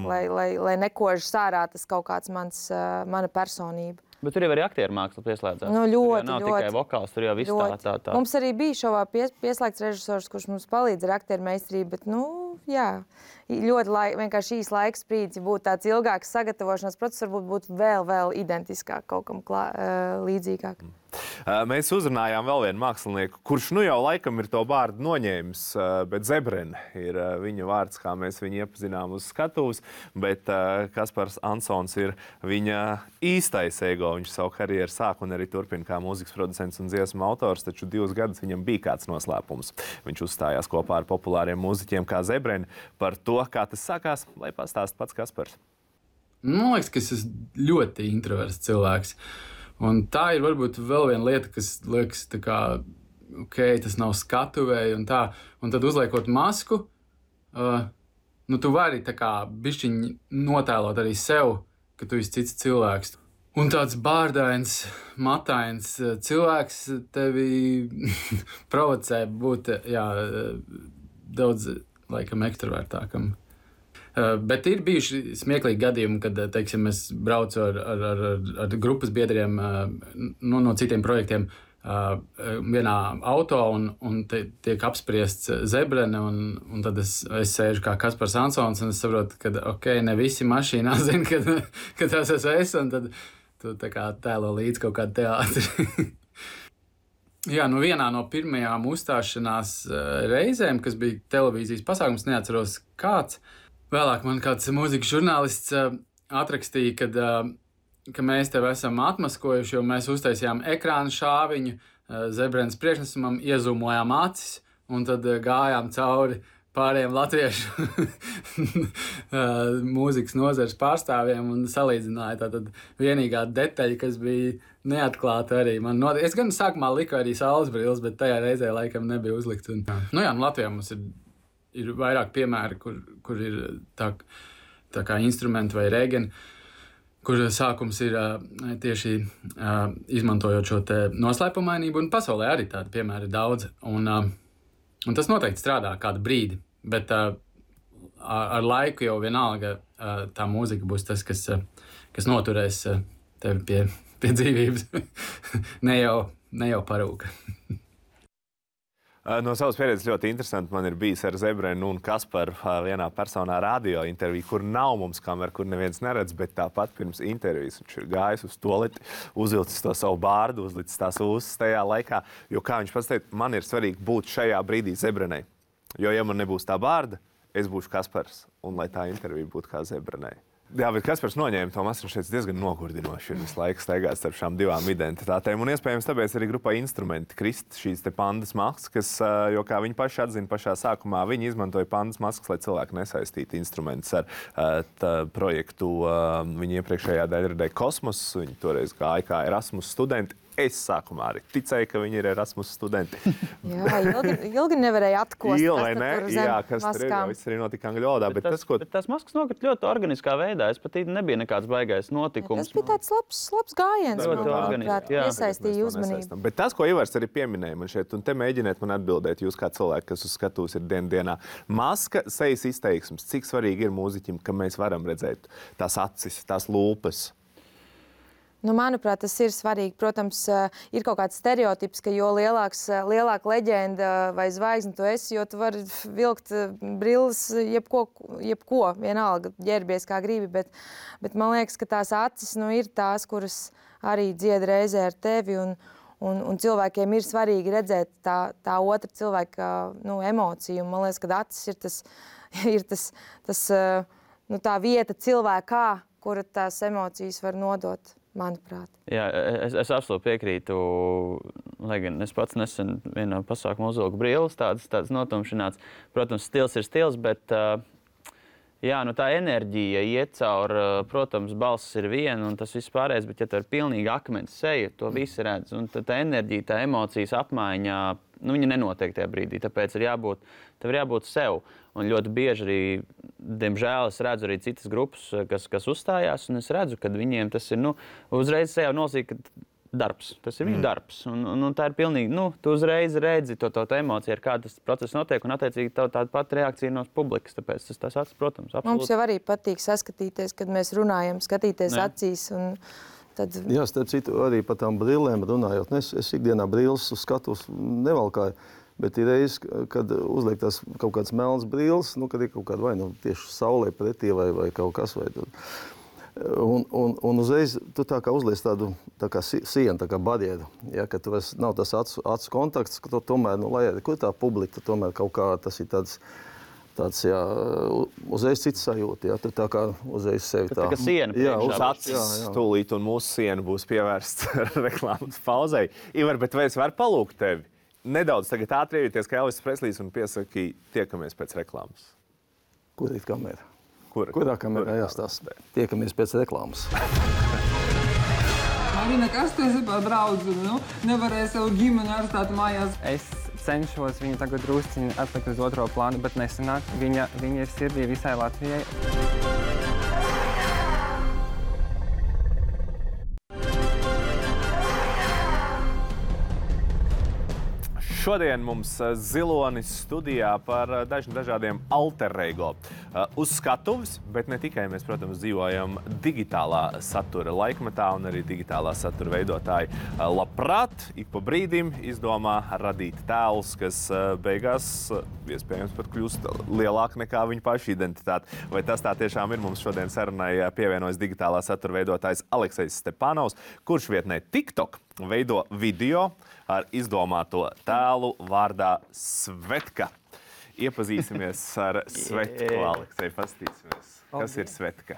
lai nekož sārā tas kaut kāds mana personība. Bet tur jau arī aktieru māksla pieslēdzās. Nu, ļoti, nav tikai vokāls, tur jau viss tā. Mums arī bija šovā pieslēgts režisors, kurš mums palīdz ar aktieru meistarību, bet, jā, ļoti vienkārši īs laiks brīdis, ja būtu tāds ilgāks sagatavošanās process, varbūt būtu vēl identiskāk, kaut kam līdzīgāk. Mēs uzrunājām vēl vienu mākslinieku, kurš jau laikam ir to vārdu noņēmis, bet Zebrene ir viņa vārds, kā mēs viņu iepazinām uz skatuves, bet Kaspars Ansons ir viņa īstais ego. Viņš savu karjeru sāk un arī turpina kā mūzikas producents un dziesmu autors, taču 2 gadus viņam bija kāds noslēpums. Viņš uzstājās kopā ar populāriem mūziķiem kā Zebrene. Par to, kā tas sākās, lai pastāst pats Kaspars. Man liekas, ka es esmu ļoti introverts cilvēks. Un tā ir varbūt vēl viena lieta, kas liekas, tas nav skatuvēji un tā. Un tad uzliekot masku, tu vari bišķiņ notēlot arī sev, ka tu esi cits cilvēks. Un tāds bārdains, matains cilvēks tevi provocē būt, daudz, laikam, ekstravertākam. Bet ir bijuši smieklīgi gadījumi, kad, teiksim, es braucu ar grupas biedriem no citiem projektiem vienā auto un tiek apspriests Zebrene, un tad es sēžu kā Kaspars Ansons, un es saprotu, ka ne visi mašīnā zina, ka tas esmu es, un tad tu tēlo līdz kaut kādu teātri. Jā, vienā no pirmajām uzstāšanās reizēm, kas bija televīzijas pasākums, neatceros kāds. Vēlāk man kāds mūzikas žurnālists atrakstīja, ka mēs tev esam atmaskojuši, jo mēs uztaisījām ekrāna šāviņu Zebrenes priekšnesumam, iezūmojām acis un tad gājām cauri pārējiem latviešu mūzikas nozares pārstāvjiem un salīdzināja tātad vienīgā detaļa, kas bija neatklāta arī. Es gan sākumā liku arī saules brilles, bet tajā reizē laikam nebija uzlikt. Latvijā mums ir vairāk piemēri, kur ir tā kā instrumenti vai rēgeni, kur sākums ir tieši izmantojot šo te noslēpumainību, un pasaulē arī tādi piemēri daudz. Un tas noteikti strādā kādu brīdi, bet ar laiku jau vienalga tā mūzika būs tas, kas noturēs tevi pie dzīvības, ne jau parūka. No savas pieredzes ļoti interesanti man ir bijis ar Zebrenu un Kasparu vienā personā radio interviju, kur nav mums kamera, kur neviens neredz, bet tāpat pirms intervijas viņš ir gājis uz toleti, uzvilcis to savu bārdu, uzlicis tās ūsas tajā laikā, jo, kā viņš pats teica, man ir svarīgi būt šajā brīdī Zebrenei, jo, ja man nebūs tā bārda, es būšu Kaspars, un lai tā intervija būtu kā Zebrenei. Jā, bet Kaspars noņēma to masu, šeit diezgan nogurdinoši ir visu laiku staigāt starp šām divām identitātēm. Un iespējams tāpēc arī grupai instrumenti krist šīs te pandas maskas, jo, kā viņi paši atzina pašā sākumā, viņi izmantoja pandas maskas, lai cilvēki nesaistītu instrumentus ar projektu. Viņi iepriekšējā daļradē Kosmos, viņi toreiz gāja kā Erasmus studenti. Es sākumā arī ticēju, ka viņi ir Erasmus studenti. Jā, ilgi nevarēja atkost, Vai ne? kas tur zem Jā, kas tur ir, maskām. viss arī notika angļu valodā. Bet tās maskas nokrita ļoti organiskā veidā. Es pat nebija nekāds baigais notikums. Tas bija tāds labs gājiens, Ļoti organiski, jā. iesaistīja uzmanību. Bet tas, ko Ivars arī pieminēja man šeit, un te mēģiniet man atbildēt, jūs kā cilvēki, kas uz skatuves ir dienā. Maska, sejas izteiksmes, cik svarīgi ir mūziķim, ka mēs varam redzēt tās acis, tās lūpas. Nu, manuprāt, tas ir svarīgi. Protams, ir kaut kāds stereotips, ka jo lielāka leģenda vai zvaigzne tu esi, jo tu vari vilkt brilles jebko, vienalga ģērbies kā gribi. Bet man liekas, ka tās acis ir tās, kuras arī dzied reizē ar tevi. Un cilvēkiem ir svarīgi redzēt tā otra cilvēka emociju. Un man liekas, ka acis ir tā vieta cilvēkā, kura tās emocijas var nodot. Manuprāt. Jā, es absolūti piekrītu, lai gan es pats nesen vienā pasākumā uzvilku brilles, tādas notumšināts. Protams, stils ir stils, bet jā, tā enerģija iet caur, protams, balss ir viena un tas viss pārējais, bet ja tev ir pilnīgi akmens seja, to visi redz. Un tā enerģija, tā emocijas apmaiņā, viņa nenotiek tajā brīdī, tāpēc tev ir jābūt sev. Un ļoti bieži arī, diemžēl, es redzu arī citas grupas, kas uzstājās, un es redzu, ka viņiem tas ir, uzreiz sev nosīk, ka darbs. Tas ir viņu darbs. Un tā ir pilnīgi, tu uzreiz redzi to emociju, ar kādu tas process notiek, un attiecīgi tev tāda pati reakcija no publikas. Tāpēc tas acis, protams, absolūti. Mums jau arī patīk saskatīties, kad mēs runājam, skatīties acīs. Tad... Jā, starp citu, arī par tām brillēm runājot. Es ikdienā brilles uz skatuves nevalkāju. Bet ir reizes, kad uzliek tās kaut kādas melnas brilles, kad ir kaut kāda vai tieši saulē pretī vai kaut kas. Un uzreiz tu tā kā uzliec tādu tā kā sienu, tā kā barjeru. Ja, ka tu nav tas acu kontakts, ka tu tomēr, lai arī kur tā publika, tomēr kaut kā tas ir tāds jā, uzreiz cits sajūta. Ja, tu tā kā uzreiz sevi tā. Tā kā siena. Jā, uz acis tūlīt un mūsu siena būs pievērsts reklāmas pauzei. Ivar, bet vai es varu palūgt tevi? Nedaudz tagad ātri ievities, ka Elvis Preslīs un piesaki, tiekamies pēc reklāmas. Kur ir kamera? Kurā kamerā jāstāsta? Tiekamies pēc reklāmas. Marina, kas tu esi par draudzeni? Nevarēja savu ģimeni atstāt mājās. Es cenšos viņu tagad drusciņi atlikt uz otro plānu, bet nesanāk. Viņa ir sirdī visai Latvijai. Šodien mums Zilonis studijā par dažādiem alter ego. Uz skatuves, bet ne tikai mēs, protams, dzīvojam digitālā satura laikmetā un arī digitālā satura veidotāji labprāt ik pa brīdim izdomā radīt tēlus, kas beigās iespējams pat kļūst lielāk nekā viņa paša identitāte. Vai tas tā tiešām ir? Mums šodien sarunai pievienojas digitālā satura veidotājs Aleksejs Stepanovs, kurš vietnē TikTok veido video ar izdomāto tēlu vārdā Svetka. Iepazīsimies ar Svetku, Aleksej, pastīsimies. Kas ir Svetka?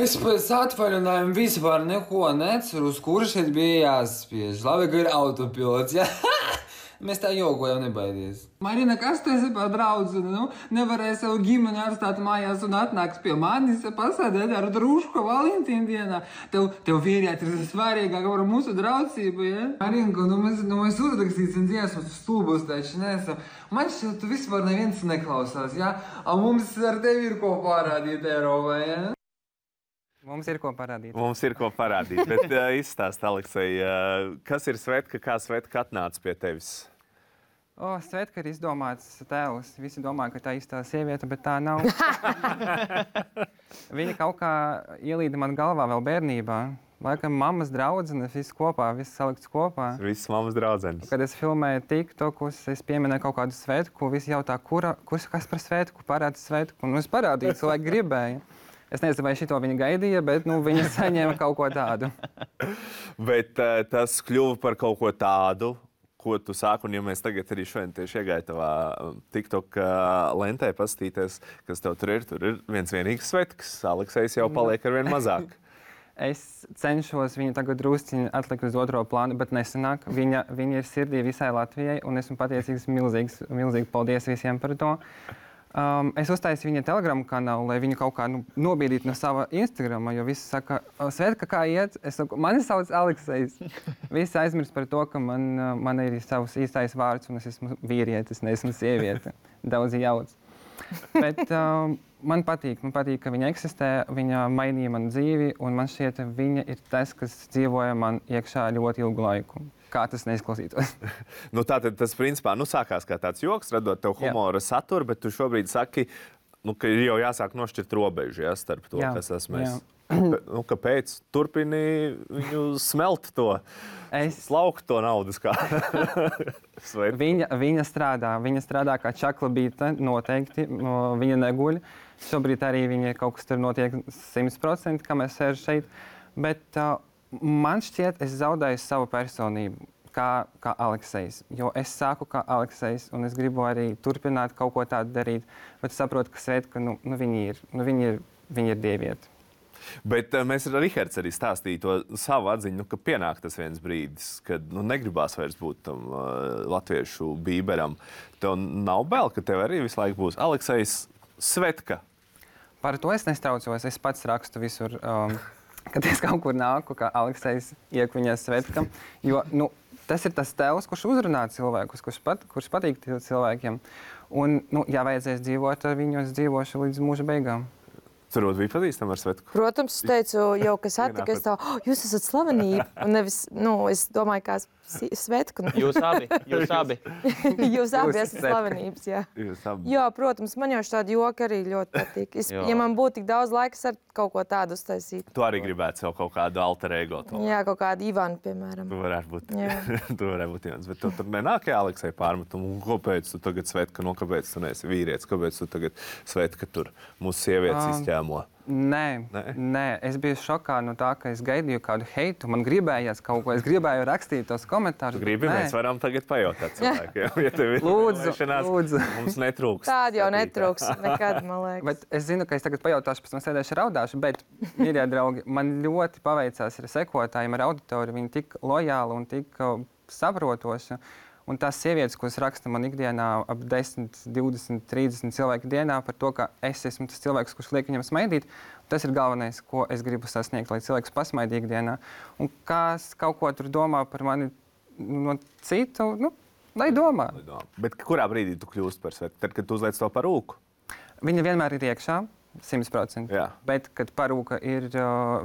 Es pēc atvaļinājuma vispār neko neceru, uz kuru šeit bija jāspiež. Labi, ka ir autopilots, ja? Mēs tā jokojam, nebaidies. Marina, kas tu esi par draudzeni? Nevarēja savu ģimeni atstāt mājās un atnāks pie manis, pasēdēt ar drūšku Valentīna dienā. Tev vīriet ir svarīgāk par mūsu draudzību, ja? Marinka, mēs uzrakstīsim dziesmas uz stulbus, taču nesam. Man šķiet, tu vispār neviens neklausās, ja? A mums ar tevi ir ko parādīt Eiropā, ja? Mums ir ko parādīt. Mums ir ko parādīt, bet izstāst, Aleksej, kas ir Svetka, kā Svetka atnāca pie tevis? Svetka ir izdomāts tēls. Visi domā, ka tā īstā sieviete, bet tā nav. Viņa kaut kā ielīda man galvā vēl bērnībā. Laikam mammas draudzenes, viss kopā, viss salikts kopā. Viss mammas draudzenes. Kad es filmēju TikTokus, es pieminēju kaut kādu svētku, visi jautā, kas par svētku, parāda svētku. Un es parādīju, cilvēki gribēja. Es nezinu, vai šito viņa gaidīja, bet viņi saņēma kaut ko tādu. Bet tas kļuva par kaut ko tādu, ko tu sāki, un ja mēs tagad arī šodien tieši iegāja tavā TikTok lentē pastīties, kas tev tur ir viens vienīgs Svetks. Aleksejs jau paliek arvien mazāk. Es cenšos viņu tagad drusciņi atlikt uz otro plānu, bet nesanāk. Viņa ir sirdī visai Latvijai, un esmu pateicīgs milzīgi paldies visiem par to. Es uztaisīju viņa Telegram kanālu, lai viņu kaut kā nobīdītu no sava Instagrama, jo visi saka, Svetka, kā iet? Es saku, mani sauc Aleksejs. Visi aizmirst par to, ka man ir savs īstais vārds un es esmu vīrietis, neesmu sieviete. Daudzi jauc. Bet man patīk, ka viņa eksistē, viņa mainīja manu dzīvi un man šķiet, ka viņa ir tas, kas dzīvoja man iekšā ļoti ilgu laiku. Kā tas neizklausītos. Tātad tas principā sākās kā tāds joks, radot tev humora saturu, bet tu šobrīd saki, ka ir jau jāsāk nošķirt robežu starp to, kas esmu es. Kāpēc turpini viņu smelt to, slaukt to naudas kā Viņa strādā kā čaklabīte noteikti, viņa neguļ. Šobrīd arī viņa kaut kas tur notiek 100%, kā mēs sēžam šeit. Bet man šķiet, es zaudēju savu personību kā Aleksejs, jo es sāku kā Aleksejs un es gribu arī turpināt kaut ko tādu darīt, bet saprotu, ka Svetka, viņi ir dievieti. Bet mēs ar Rihards arī stāstīja to savu atziņu, ka pienāk tas viens brīdis, kad negribās vairs būt tam latviešu Bīberam. Tev nav bail, ka tev arī visu laiku būs Aleksejs Svetka? Par to es nestraucos, es pats rakstu visur. Kad es kaut kur nāku, kā Aleksejs iekviņā Svetkam, jo tas ir tas tēls, kurš uzrunā cilvēkus, kurš patīk cilvēkiem. Un, ja vajadzēs dzīvot ar viņu, es dzīvošu līdz mūža beigām. Turbūt bija pazīstama ar Svetku? Protams, es teicu, jau, kas attika, es tā, jūs esat slavenība. Un nevis, es domāju, kā Svetka. Jūs abi. Jūs abi esat slavenības, jā. Jā, protams, man jau šādi joki arī ļoti patīk. Ja man būtu tik daudz laika, es ar kaut ko tādu uztaisīt. Tu arī gribētu sev kaut kādu alter ego. Jā, kaut kādu Ivanu, piemēram. Tu varētu būt Ivans. Bet tu tur nenāk, Aleksej, pārmetumu. Kāpēc tu tagad Svetka? Kāpēc tu neesi vīrietis? Kāpēc tu tagad Svetka tur mūsu sievietes izķēmo? Nē, es biju šokā no tā, ka es gaidīju kādu heitu. Man gribējās kaut ko, es gribēju rakstīt tos komentārus. Mēs varam tagad pajautāt cilvēkiem. Ja tev ir lūdzu. Mums netrūks. Tāda jau netrūks nekad, man liekas. Bet es zinu, ka es tagad pajautāšu, pēc tam sēdēšu raudāšu, bet, mīļie draugi, man ļoti paveicās ar sekotājiem, ar auditoriju. Viņi tik lojāli un tik saprotoši. Un tās sievietes, kuras raksta man ikdienā ap 10, 20, 30 cilvēku dienā par to, ka es esmu tas cilvēks, kurš liek viņam smaidīt, tas ir galvenais, ko es gribu sasniegt, lai cilvēks pasmaidī ikdienā. Un kas kaut ko tur domā par mani no citu, lai domā. Bet kurā brīdī tu kļūst par Svetku? Tad, kad tu uzliec to parūku? Viņa vienmēr ir iekšā. 100%. Jā. Bet, kad parūka ir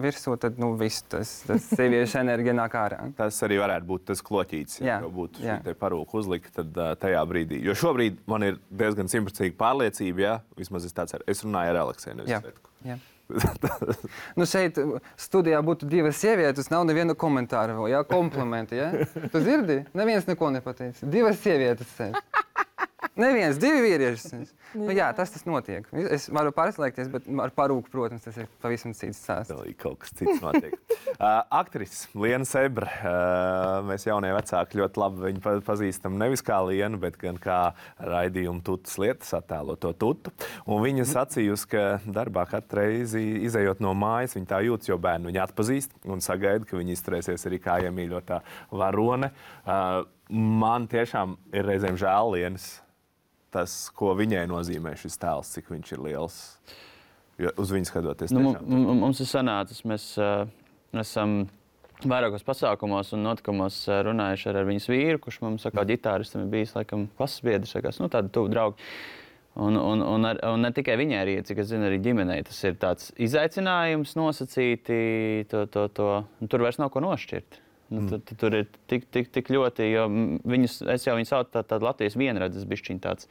virsū, tad viss tas sieviešu enerģija nāk ārā. Tas arī varētu būt tas kloķītis. Ja būtu šī parūka uzlikta, tad tajā brīdī. Jo šobrīd man ir diezgan simtprocentīgi pārliecība, vismaz es runāju ar Alekseju, nevis Svetku. Jā. Šeit studijā būtu divas sievietes, nav neviena komentāra vēl, komplimenti, Tu dzirdi? Neviens neko nepateica. Divas sievietes sēž. Neviens, divi vīrieši. Tas notiek. Es varu pārslēgties, bet ar parūku, protams, tas ir pavisam cits stāsts. Kaut kas cits notiek. Aktris Liena Sebra. Mēs jaunie vecāki ļoti labi viņu pazīstam nevis kā Lienu, bet gan kā raidījumu Tutas lietas attēloto Tutu. Un viņa sacījusi, ka darbā katru reizi izejot no mājas, viņa tā jūtas, jo bērnu viņa atpazīst un sagaida, ka viņa izturēsies arī kā iemīļotā varone. Man tiešām ir reizēm žēl Lienas. Tas, ko viņai nozīmē šis tēls, cik viņš ir liels. Jo uz viņu skatoties mums ir sanācis, mēs esam vairākos pasākumos un notikumos runājuši ar viņas vīru, kurš mums kā ģitāristam ir bijis laikam klases biedrs, tādi tuvu draugi. Un ne tikai viņai arī, cik es zinu, arī ģimenei tas ir tāds izaicinājums nosacīti tur vairs nav ko nošķirt. Tur ir tik ļoti, jo es jau viņu saucu tādu Latvijas vienredzes bišķiņu tāds.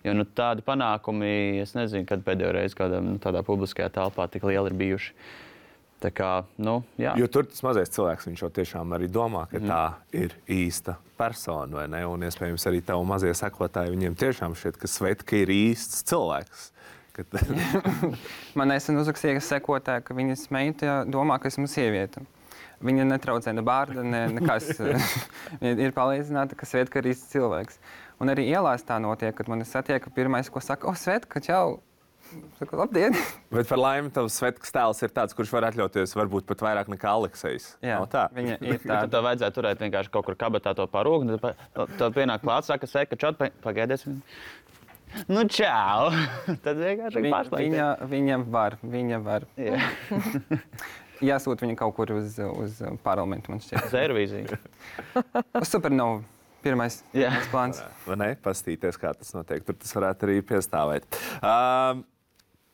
Jo tādi panākumi, es nezinu, kad pēdējo reizi tādā publiskajā telpā tik lieli ir bijuši. Tā kā, jā. Jo tur tas mazais cilvēks, viņš jau tiešām arī domā, ka tā ir īsta persona, vai ne? Un iespējams arī tavu mazie sekotāji, viņiem tiešām šķiet, ka Svetka ir īsts cilvēks. Man nesen uzrakstīja sekotāji, ka viņas meita domā, ka esmu sieviete. Viņa netraucē ne bārda, nekas. Viņa ir pārliecināta, ka Svetka ir īsts cilvēks. Un arī ielās tā notiek, kad mani satiek, pirmais, ko saka, Svetka, čau! Saku, labdien! Bet par laimi tavs Svetkas tēls ir tāds, kurš var atļauties varbūt pat vairāk nekā Aleksejs. Jā, viņa ir tāda. Tev vajadzētu turēt vienkārši kaut kur kabatā to parūku, tad pienāk klāt, saka, Svetka, čau, pagaidies. Nu, čau! Tad vienkārši pašlaik. Viņa var. Jāsūt viņa kaut kur uz parlamentu, man šķiet. Uz Eirovīziju. Uz Supernovu. Pirmais plāns. Vai ne? Pastīties, kā tas notiek. Tur tas varētu arī piestāvēt.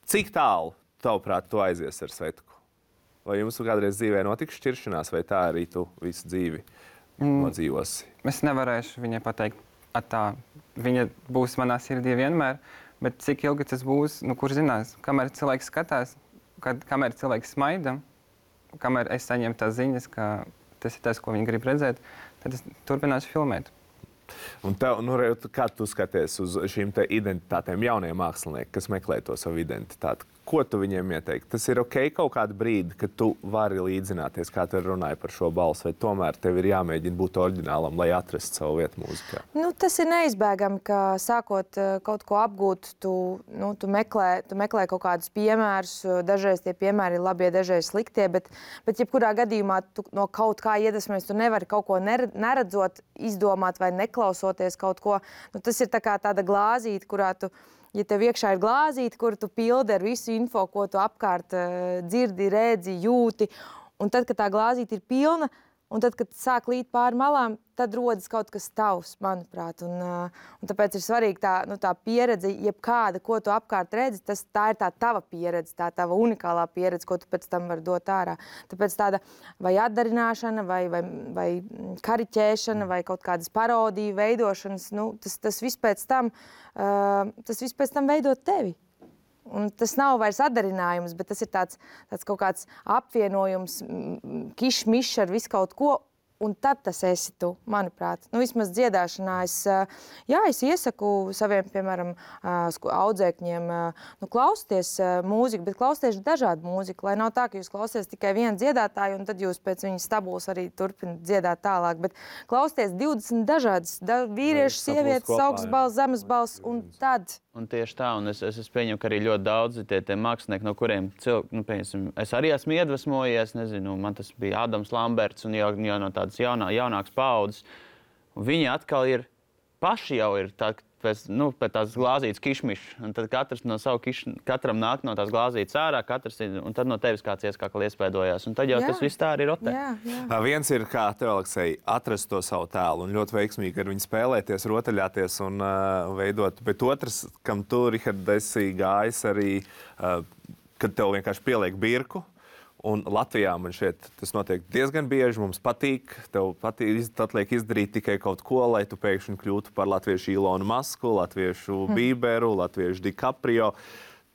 Cik tālu, tavuprāt, tu aizies ar Svetku? Vai jums kādreiz dzīvē notiks šķiršanās, vai tā arī tu visu dzīvi nodzīvosi? Es nevarēšu viņai pateikt, tā. Viņa būs manā sirdī vienmēr, bet cik ilgi tas būs, kur zinās, kamēr cilvēks skatās, kamēr cilvēks smaida, kamēr es saņemu tās ziņas, ka tas ir tas, ko viņi grib redzēt, tad es turpināšu filmēt. Un tev, kā tu skaties uz šīm te identitātēm jauniem māksliniekiem, kas meklē to savu identitāti? Ko tu viņiem ieteikti? Tas ir ok kaut kādu brīdi, kad tu vari līdzināties, kā tu runāji par šo balsi, vai tomēr tev ir jāmēģina būt oriģinālam, lai atrastu savu vietu mūzikā? Tas ir neizbēgami, ka sākot kaut ko apgūt, tu meklē kaut kādus piemērus. Dažreiz tie piemēri ir labie, dažreiz sliktie, bet jebkurā gadījumā tu no kaut kā iedvesmojies, tu nevari kaut ko neredzot, izdomāt vai neklausoties kaut ko. Tas ir tā kā tāda glāzīte, kurā tu, ja tev iekšā ir glāzīte, kuru tu pildi ar visu info, ko tu apkārt dzirdi, redzi, jūti, un tad, kad tā glāzīte ir pilna, un tad, kad sāk līt pāri malām, tad rodas kaut kas tavs, manuprāt. Un tāpēc ir svarīgi tā pieredze, jebkāda, ko tu apkārt redzi, tā ir tā tava pieredze, tā tava unikālā pieredze, ko tu pēc tam vari dot ārā. Tāpēc tāda vai atdarināšana, vai kariķēšana, vai kaut kādas parodiju veidošanas, tas viss pēc tam veido tevi. Un tas nav vairs atdarinājums, bet tas ir tāds kaut kāds apvienojums, kišmišs ar visu kaut ko, un tad tas esi tu, manuprāt. Vismaz dziedāšanā es iesaku saviem, piemēram, audzēkņiem, klausieties mūziku, bet klausieties dažādu mūziku, lai nav tā, ka jūs klausieties tikai vienu dziedātāju, un tad jūs pēc viņas stabulas arī turpināt dziedāt tālāk. Bet klausieties 20 dažādas, vīriešu, sievietes, augsts balss, zemes balss, un tad... Un tieši tā, un es pieņemu, ka arī ļoti daudzi tie mākslinieki, no kuriem es arī esmu iedvesmojies, nezinu, man tas bija Ādams Lamberts un jau no tādas jaunākas paaudzes. Viņi atkal paši jau ir pēc tās glāzītes kišmišs, un tad katram nāk no tās glāzītes ārā, un tad no tevis kāds ieskakli iespēdojās, un tad jau tas viss tā arī rotē. Viens ir, kā tev, Aleksej, atrast to savu tēlu un ļoti veiksmīgi ar viņu spēlēties, rotaļāties un veidot, bet otrs, kam tu, Rihard, esi gājis arī, kad tev vienkārši pieliek birku. Un Latvijā man šķiet, tas notiek diezgan bieži, mums patīk, tev atliek izdarīt tikai kaut ko, lai tu pēkšņi kļūtu par latviešu Ilonu Masku, latviešu Bīberu, latviešu DiCaprio.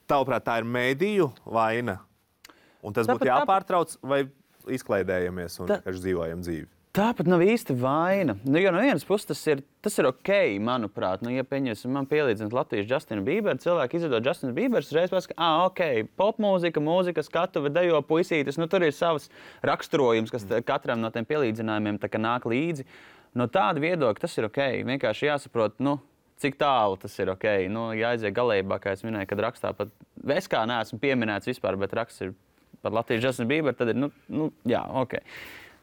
Tavuprāt, tā ir mēdīju vaina? Un tas būtu jāpārtrauc vai izklaidējamies un vienkārši dzīvojam dzīvi? Tāpat nav īsti vaina. Jo no vienas puses tas ir ok, manuprāt. Ja man pielīdzināt Latvijas Justinu Bīberu, cilvēki izvedot Justinu Bīberu, reiz pasaka, ok, mūzika, skatuve, dejo puisītes, tur ir savs raksturojums, kas katram no tiem pielīdzinājumiem tā kā nāk līdzi. No tāda viedokļa tas ir ok. Vienkārši jāsaprot, cik tālu tas ir ok. Jāaiziet galējībā, kā es minēju, kad rakstā pat, es kā neesmu pieminēts vispār, bet raksts ir par Latvijas Justinu Bīberu, tad ir, jā, ok.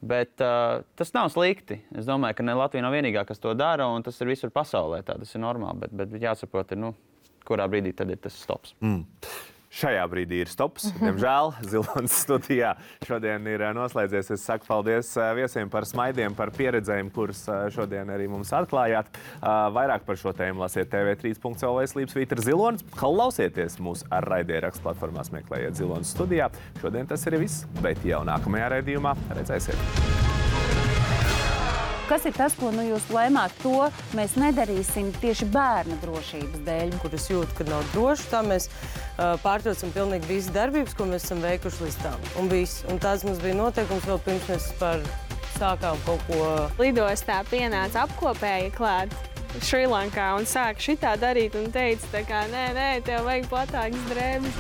Bet tas nav slikti. Es domāju, ka Latvija nav vienīgā, kas to dara, un tas ir visur pasaulē. Tas ir normāli, bet jāsaprot, kurā brīdī tad ir tas stops. Šajā brīdī ir stops. Diemžēl Zilonas studijā šodien ir noslēdzies. Es saku paldies viesiem par smaidiem, par pieredzēm, kuras šodien arī mums atklājāt. Vairāk par šo tēmu lasiet tv3.lv/Vītra Zilonas. Klausieties mūs ar raidierakstu platformās, meklējiet Zilonas studijā. Šodien tas ir viss, bet jau nākamajā raidījumā redzēsiet. Kas ir tas, ko jūs lēmāt, to mēs nedarīsim tieši bērna drošības dēļ? Kur es jūtu, ka nav droši, tā mēs pārtraucam pilnīgi visas darbības, ko mēs esam veikuši līdz tam. Un tāds mums bija noteikums vēl pirms mēs sākām kaut ko. Lidostā pienāca apkopēja klāt Šrilankā un sāka šitā darīt un teica, nē, tev vajag platākas drēbes.